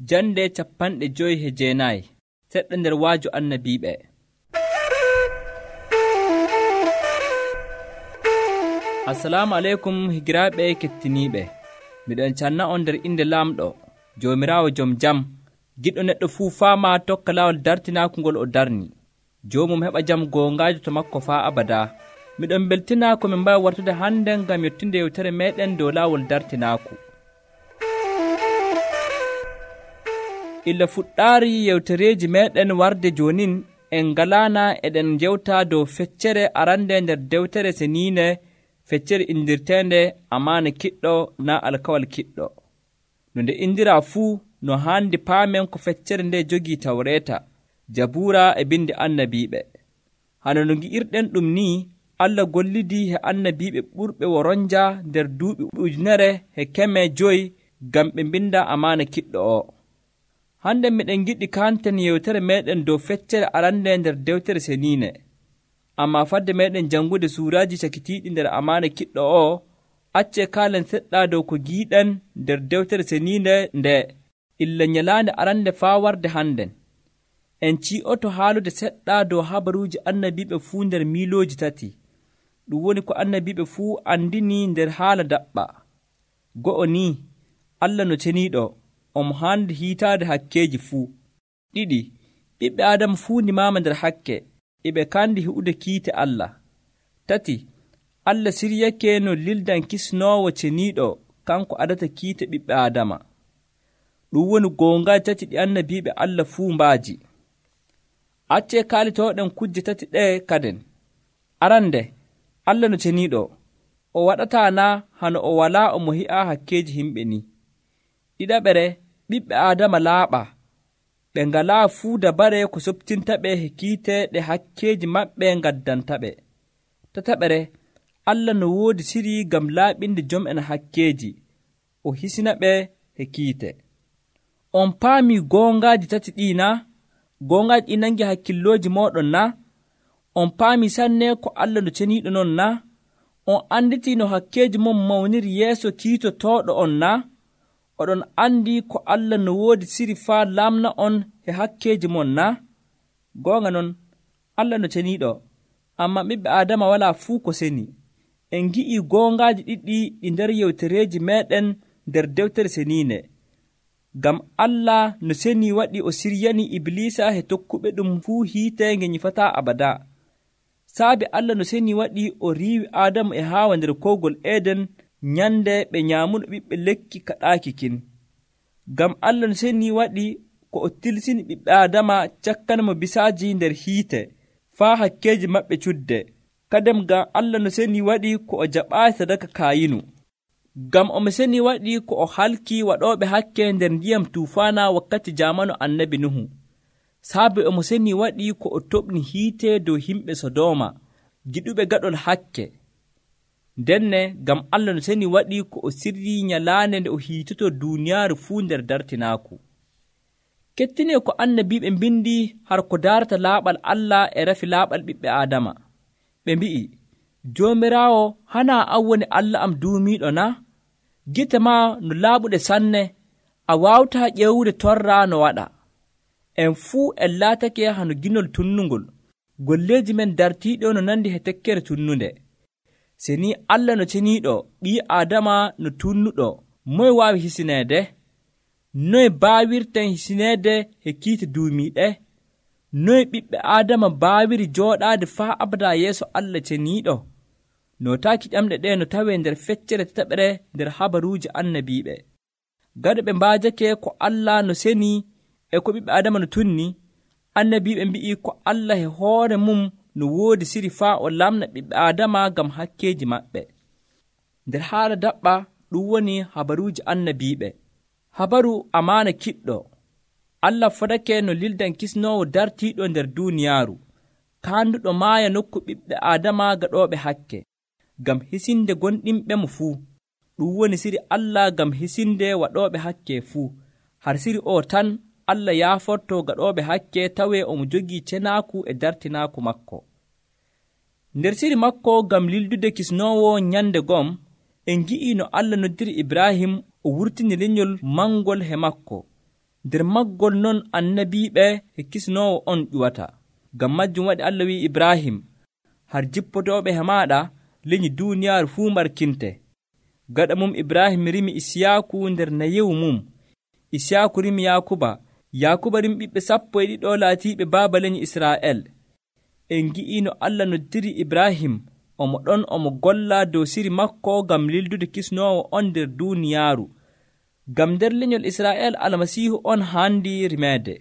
Jande 59 seɗɗa nder waaju annabiiɓe. Assalamu aleykum higiraaɓe kettiniiɓe. Miɗon canna on nder inde Laamɗo, Joomiraawo jom jam, giɗɗo neɗɗo fuu faama tokka laawol dartinaaku ngol o darni. Joomum heɓa jam goongaajo to makko faa abadaa. Miɗon beltinaa ko min mbawi wartude hande ngam yettunde yewtere meɗen dow laawol dartinaaku. Illa fuɗɗaari yewtereeji meɗen warde jonin en ngalaana eɗen jewta dow feccere arande nder dewtere seniine, feccere indirteende amaana kiɗɗo naa alkawal kiɗɗo. No nde indiraa fuu no haandi paamen ko feccere nde jogii Tawreeta, Jabuura e bindi annabiiɓe. Hano no ngi'irɗen ɗum ni, Allah gollidii he annabiiɓe ɓurɓe woronja nder duuɓi 1,500 ngam ɓe mbinda amaana kiɗɗo o. Hande miɗen giɗi kanten yewtere meɗen dow feccere arande nder dewtere seniine. Amma fadde meɗen jangude suuraaji cakitiiɗi nder amaana kiɗɗo o, acce kaalen seɗɗa dow ko giiɗen nder dewtere seniine nde illa nyalaande arande faa warde hannden. En ci'oto haalude seɗɗa dow habaruuji annabiiɓe fuu nder miilooji 3. Ɗum woni ko annabiiɓe fuu andini nder haala daɓɓa. Go'o ni, Allah no ceniiɗo, omo haandi hiitaade hakkeeji fuu. 2. Ɓiɓɓe Aadama fuu nimaama nder hakke, eɓe kandi heɓude kiite Allah. 3. Allah siryake no lildan kisnoowo ceniiɗo kanko adata kiite ɓiɓɓe Aadama. Ɗum woni goongaji 3 ɗi annabiiɓe Allah fuu mbaaji. Accee kaalitoɗen kujje 3 ɗe kaden. Arande, Allah no ceniiɗo, o waɗataa na hano o walaa omo hi'a hakkeeji himɓe ni. 2. Ɓiɓɓe Aadama laaɓa, ɓe ngalaa fuu dabare ko soɓtintaɓe he kiite ɗe hakkeeji maɓɓe ngaddantaɓe. 3. Allah no woodi siri ngam laaɓinde jom'en hakkeeji, o hisinaɓe he kiite. On paamii goongaaji 3 ɗii na? Goongaaji ɗi nangi hakkillooji mooɗon na? On paamii sanne ko Allah no ceniiɗo non na? On anditii no hakkeeji mon mawniri yeeso kiitotooɗo on na? Oɗon andi ko Allah no woodi siri faa laamna on he hakkeeji mon na? Goonga non, Allah no ceniiɗo, amma ɓiɓɓe Aadama walaa fuu ko seni. En ngi'ii goongaaji ɗiɗi ɗi nder yewtereeji meɗen nder dewtere seniine. Ngam Allah no seni waɗi o siryani Iblisa he tokkuɓe ɗum fuu hiite nge nyifataa abadaa. Saabi Allah no seni waɗi o riiwi Aadamu e Haawa nder kowgol Eden nyande ɓe nyaamuno ɓiɓɓe lekki kaɗaaki kin. Ngam Allah no seni waɗi ko o tilsini ɓiɓɓe Aadama cakkanmo bisaaji nder hiite faa hakkeeji maɓɓe cudde. Kadem ngam Allah no seni waɗi ko o jaɓaayi sadaka Kaayinu. Ngam omo seni waɗi ko o halki waɗooɓe hakke nder ndiyam tuufaana wakkati jaamanu annabi Nuhu. Saabi omo seni waɗi ko o toɓni hiite dow himɓe Sodooma, giɗuɓe gaɗol hakke. Denne ngam Allah no seni waɗi ko o sirrii nyalaande nde o hiitoto duuniyaaru fuu nder dartinaaku. Kettinee ko annabiiɓe mbindi har ko daarata laaɓal Allah e rafi laaɓal ɓiɓɓe Aadama. Ɓe mbi'i, Joomiraawo hanaa an woni Allah am duumiiɗo na? Gite maa no laaɓuɗe sanne, a waawtaa ƴewude torra no waɗa. En fuu en laatake hano ginol tunnungol, golleeji men dartiiɗo no nandi he tekkere tunnunde. Seni Allah no ceniiɗo, ɓii Aadama no tunnuɗo, moye waawi hisineede? Noye baawirten hisineede he kiite duumiiɗe? Noye ɓiɓɓe Aadama baawiri jooɗaade faa abadaa yeeso Allah ceniiɗo? Nootaaki ƴamɗe ɗe no tawee nder feccere 7 nder habaruuji annabiiɓe. Gaɗo ɓe mbaajake ko Allah no seni e ko ɓiɓɓe Aadama no tunni, annabiiɓe mbi'i ko Allah he hoore mum no woodi siri faa o lamna ɓiɓɓe Aadama ngam hakkeeji maɓɓe. Nder haala daɓɓa ɗum woni habaruuji annabiiɓe. Habaru amaana kiɗɗo. Allah fadake no lildan kisnoowo dartiiɗo nder duuniyaaru, kaanduɗo maaya nokku ɓiɓɓe Aadama gaɗooɓe hakke, ngam hisinde gonɗinɓe mo fuu. Ɗum woni siri Allah ngam hisinde waɗooɓe hakke fuu. Har siri o tan Allah yaaforto gaɗooɓe hakke tawee omo jogii cenaaku e dartinaaku makko. Nder siri makko ngam lildude kisnoowo nyande gom, en ngi'ii no Allah noddiri Ibrahim o wurtini lenyol mangol he makko. nder maggol non annabiiɓe e kisnoowo on ƴuwata. Ngam majjum waɗi Allah wi'i Ibrahim, har jippotooɓe he maaɗa leñi duuniyaaru fuu mbarkinte. Gaɗa mum Ibrahim rimi Isiyaaku nder nayewu mum. Isiyaaku rimi Yaakuba. Yaakuba rimi ɓiɓɓe 12 laatiiɓe baaba leñi Israa'el. En ngi'ii no Allah noddiri Ibrahim omo ɗon omo golla dow siri makko ngam lildude kisnoowo on nder duuniyaaru. Ngam nder leñol Israa'el Almasiihu on haandi rimeede.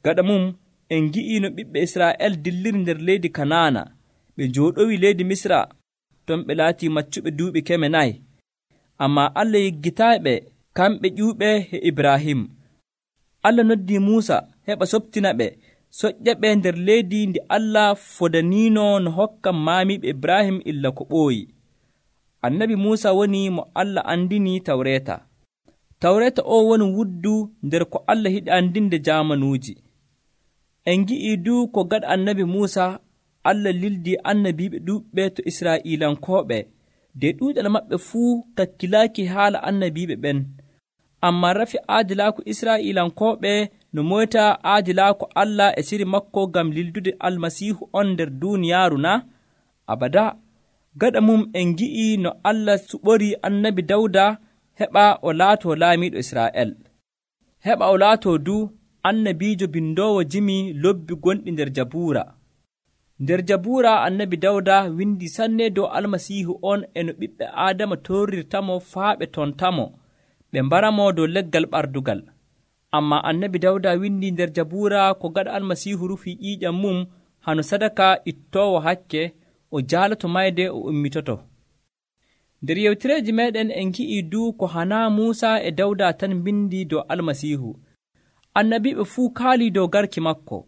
Gaɗa mum en ngi'ii no ɓiɓɓe Israa'el dilliri nder leydi Kanaana. Ɓe njooɗowi leydi Misra ton ɓe laatii maccuɓe duuɓi 400. Ammaa Allah yiggitaaɓe kamɓe ƴuuɓe he Ibrahim. Allah noddii Muusa heɓa soɓtina ɓe soƴƴa ɓe nder leydi ndi Allah fodaniino no hokka maamiiɓe Ibrahim illa ko ɓooyi. Annabi Muusa woni mo Allah andini Tawreeta. Tawreeta o woni wuddu nder ko Allah yiɗi andinde jaamanuuji. En ngi'ii du ko gaɗa annabi Muusa Allah lildii annabiiɓe ɗuuɓɓe to Israa'iilankooɓe de ɗuuɗal maɓɓe fuu kakkilaaki haala annabiiɓe ɓen. Ammaa rafi aadilaaku Israa'iilankooɓe no moyta aadilaaku Allah e siri makko ngam lildude Almasiihu on nder duuniyaaru na? Abada. Gaɗa mum en ngi'ii no Allah suɓorii annabi Dawda heɓa o laatoo laamiiɗo Israa'el. Heɓa o laatoo du annabiijo bindoowo jimi lobbi gonɗi nder Jabuura. Nder Jabuura annabi Dawda windi sanne dow Almasiihu on e no ɓiɓɓe Aadama torrirtamo faa ɓe tontamo ɓe mbaramo dow leggal ɓardugal. Ammaa annabi Dawda windi nder Jabuura ko gaɗa Almasiihu rufii ƴiiƴam mum hano sadaka ittoowo hakke o jaalato mayde o ummitoto. Nder yewtireeji meeɗen en ngi'ii du ko hanaa Muusa e Dawda tan mbindi dow Almasiihu. Annabiiɓe fuu kaalii dow garki makko.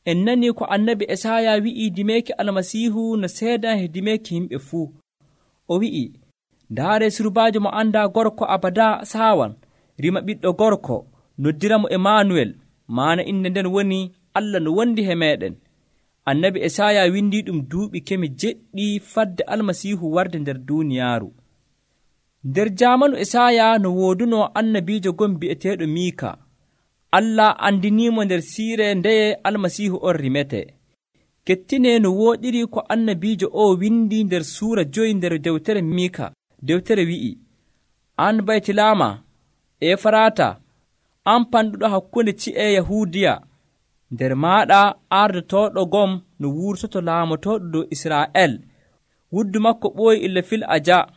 En nanii ko annabi Esaya wi'ii dimeeki Almasiihu no seedan he dimeeki yimɓe fuu. O wi'i, ndaare surbaajo mo anndaa gorko abada saawan, rima ɓiɗɗo gorko, noddiramo Emmanuel, maana inde nden woni Allah no wondi he meeɗen. Annabi Esaya windii ɗum duuɓi 7 fadde Almasiihu warde nder duuniyaaru. Nder jaamanu Esaya no wooduno annabiijo gon bi'eteeɗo Miika. Allah andiniimo nder siire ndeye Almasiihu on rimete. Kettine no wooɗiri ko annabiijo o windi nder suura 5 nder dewtere Miika. Dewtere wi'i, an Baytilama, Efrata, an panɗuɗo hakkunde ci'e Yahuudiya, nder maaɗa ardotooɗo gom no wurtoto laamotooɗo dow Israa'el, wuddu makko ɓooyi illa fil aja.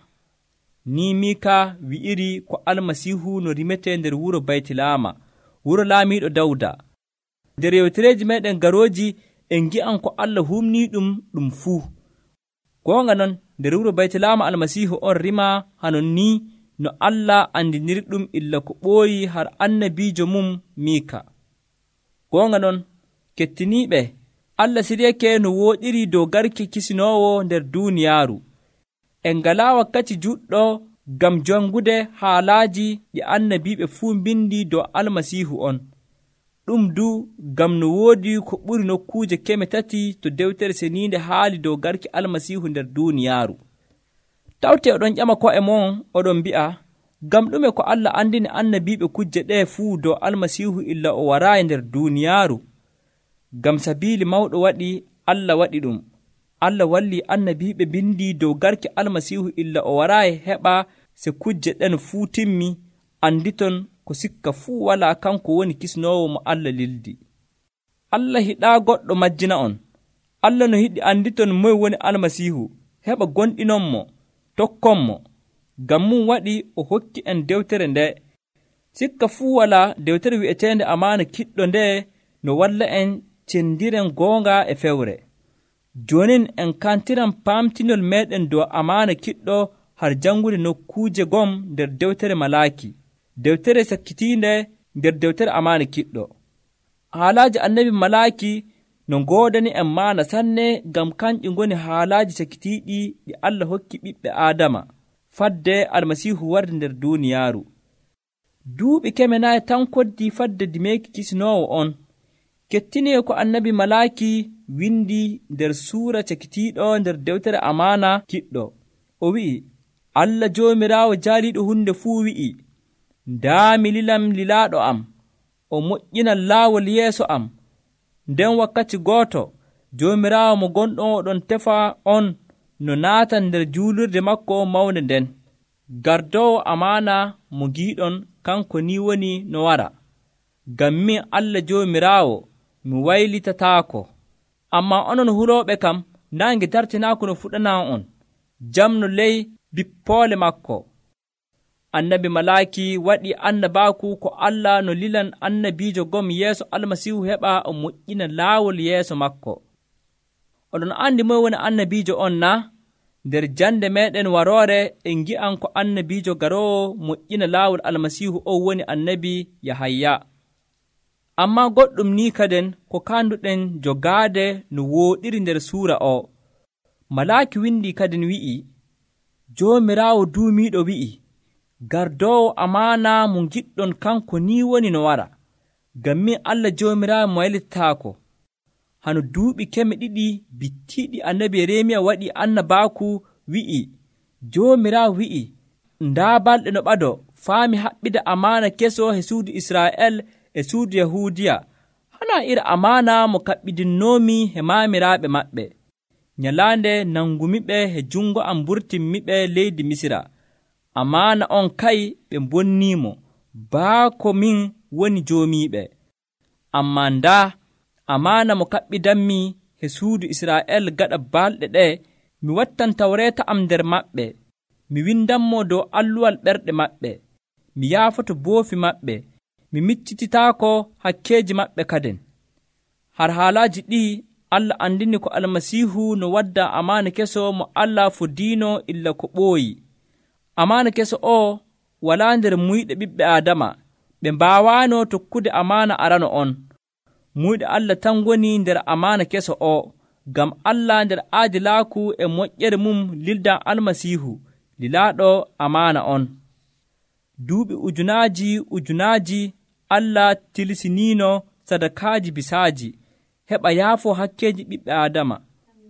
Ni Miika wi'iri ko Almasiihu no rimete nder wuro Baytilama, wuro laamiiɗo Dawda. Nder yewtereeji meeɗen garooji en ngi'an ko Allah humnii ɗum fuu. Goonga non nder wuro Baytilama Almasiihu on rima hanon ni no Allah andiniri ɗum illa ko ɓooyi har annabiijo mum Miika. Goonga non kettiniiɓe, Allah siryake no wooɗiri dow garki kisinoowo nder duuniyaaru. En ngalaa wakkati juɗɗo ngam jangude haalaaji ɗi annabiiɓe fuu mbindi dow Almasiihu on. Ɗum du ngam no woodi ko ɓuri nokkuuje 300 to dewtere seniinde haali dow garki Almasiihu nder duuniyaaru. Tawte oɗon ƴama ko'e mon oɗon mbi'a, ngam ɗume ko Allah andini annabiiɓe kujje ɗee fuu dow Almasiihu illa o waraayi nder duuniyaaru? Ngam sabiili mawɗo waɗi Allah waɗi ɗum. Allah walli annabiiɓe bindi dow garki Almasiihu illa o waraayi heɓa se kujje ɗen fuu timmi, anditon ko sikka fuu walaa kanko woni kisnoowo mo Allah lildi. Allah hiɗaa goɗɗo majjina on. Allah no yiɗi anditon moye woni Almasiihu, heɓa gonɗinonmo, tokkonmo. Ngam mum waɗi o hokki en dewtere nde. Sikka fuu walaa dewtere wi'eteende amaana kiɗɗo nde no walla en cendiren goonga e fewre. Jonin en kantiran paamtinol meeɗen dow amaana kiɗɗo har jangude nokkuuje gom nder dewtere Malaaki, dewtere sakkitiinde nder dewtere amaana kiɗɗo. Haalaaji annabi Malaaki no ngoodani en maana sanne ngam kanƴi ngoni haalaaji sakkitiiɗi ɗi Allah hokki ɓiɓɓe Aadama fadde Almasiihu warde nder duuniyaaru. Duuɓi 400 tan koddi fadde dimeeki kisinoowo on. Kettinee ko annabi Malaaki windi nder suura cakitiiɗo nder dewtere amaana kiɗɗo. O wi'i, Allah Joomiraawo jaaliiɗo hunde fuu wi'i, ndaa mi lilam lilaaɗo am, o moƴƴina laawol yeeso am. Nden wakkati gooto Joomiraawo mo gonɗon oɗon tefa on no naatan nder juulirde makko mawnde nden. Gardoowo amaana mo giiɗon kanko ni woni no wara. Ngam min Allah Joomiraawo mi waylitataako. Ammaa onon hurooɓe kam naange dartinaako no fuɗanaa on, jam no ley bippoole makko. Annabi Malaaki waɗi annabaaku ko Allah no lilan annabiijo gom yeeso Almasiihu heɓa o moƴƴina laawol yeeso makko. Oɗon andi moy woni annabiijo on na? Nder jande meeɗen waroore en ngi'an ko annabiijo garoowo moƴƴina laawol Almasiihu o woni annabi Yahaya. Ammaa goɗɗum ni kaden ko kanduɗen jogaade no wooɗiri nder suura o. Malaaki windi kadin wi'i, Joomiraawo duumiiɗo wi'i, gardoowo amaana mo giɗɗon kanko ni woni no wara. Ngam min Allah Joomiraawo mo waylitataako. Hano duuɓi 200 bittiiɗi annabi Yeremiya waɗi annabaaku wi'i, Joomiraawo wi'i, ndaa balɗe no ɓado faami haɓɓide amaana keso he suudu Israa'el e suudu Yahuudiya, hana iri amaana mo kaɓɓidinnoomi he maamiraaɓe maɓɓe. Nyalaande nangumiɓe he jungo am mburtinmiɓe leydi Misira. Amaana on kay ɓe bonniimo, baako min woni joomiiɓe. Ammaa ndaa amaana mo kaɓɓidanmi he suudu Israa'el gaɗa balɗe ɗe, mi wattan tawreeta am nder maɓɓe, mi windanmo dow alluwal ɓerɗe maɓɓe, mi yaafoto boofi maɓɓe, mi miccititaako hakkeeji maɓɓe kaden. Har haalaaji ɗii Allah andini ko Almasiihu no wadda amaana keso mo Allah fodiino illa ko ɓooyi. Amaana keso o walaa nder muyɗe ɓiɓɓe Aadama, ɓe mbaawaano tokkude amaana arano on. Muyɗe Allah tan woni nder amaana keso o, ngam Allah nder aadilaaku e moƴƴere mum lildan Almasiihu, lilaaɗo amaana on. Duuɓi ujunaaji Allah tilsiniino sadakaaji bisaaji, heɓa yaafo hakkeeji ɓiɓɓe Aadama.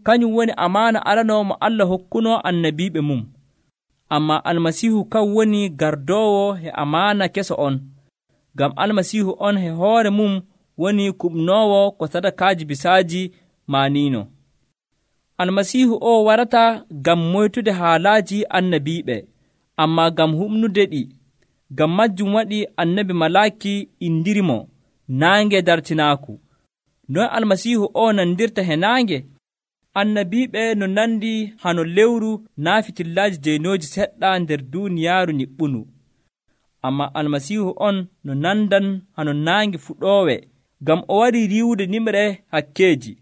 Kañum woni amaana arano mo Allah hokkuno annabiiɓe mum. Ammaa Almasiihu kan woni gardoowo he amaana keso on, ngam Almasiihu on he hoore mum woni kuɓnoowo ko sadakaaji bisaaji maaniino. Almasiihu o warata ngam moytude haalaaji annabiiɓe, ammaa ngam humnude ɗi. Ngam majjum waɗi annabi Malaaki indirimo naange dartinaaku. Noy Almasiihu o nandirta he naange? Annabiiɓe no nandi hano lewru naa fitillaaji jeynooji seɗɗa nder duuniyaaru niɓɓunu. Ammaa Almasiihu on no nandan hano naange fuɗoowe, ngam o wari riiwude nimre hakkeeji,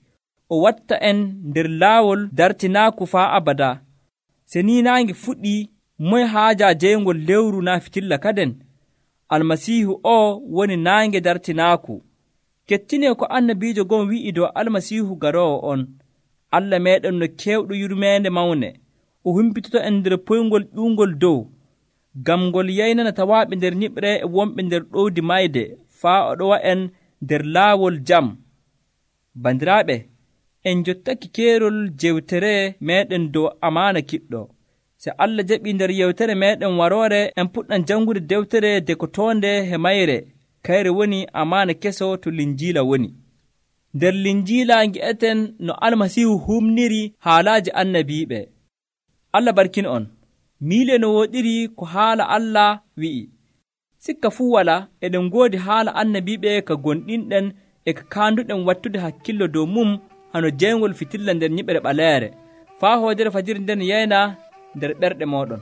o watta en nder laawol dartinaaku faa abada. Se ni naange fuɗii, moye haaja jeyngol lewru naa fitilla kaden? Almasiihu o woni naange dartinaaku. Kettinee ko annabiijo gon wi'i dow Almasiihu garoowo on. Allah meeɗen no keewɗo yurmeende mawne, o humpitoto en nder poyngol ƴuungol dow, ngam ngol yaynana tawaaɓe nder niɓre e wonɓe nder ɗowdi mayde, faa o ɗowa en nder laawol jam. Bandiraaɓe, en jottaki keerol jewtere meeɗen dow amaana kiɗɗo. Se Allah jaɓii nder yewtere meeɗen waroore, en puɗɗan janngude dewtere dekotoonde he mayre, kayre woni amaana keso to Linjiila woni. Nder Linjiila ngi'eten no Almasiihu humniri haalaaji annabiiɓe. Allah barkin on. Miile no wooɗiri ko haala Allah wi'i. Sikka fuu walaa, eɗen ngoodi haala annabiiɓe ka gonɗinɗen e ka kaanduɗen wattude hakkillo dow mum hano jeyngol fitilla nder nyiɓre ɓaleere, faa hoodere fajiri nden yeyna nder ɓerɗe mooɗon.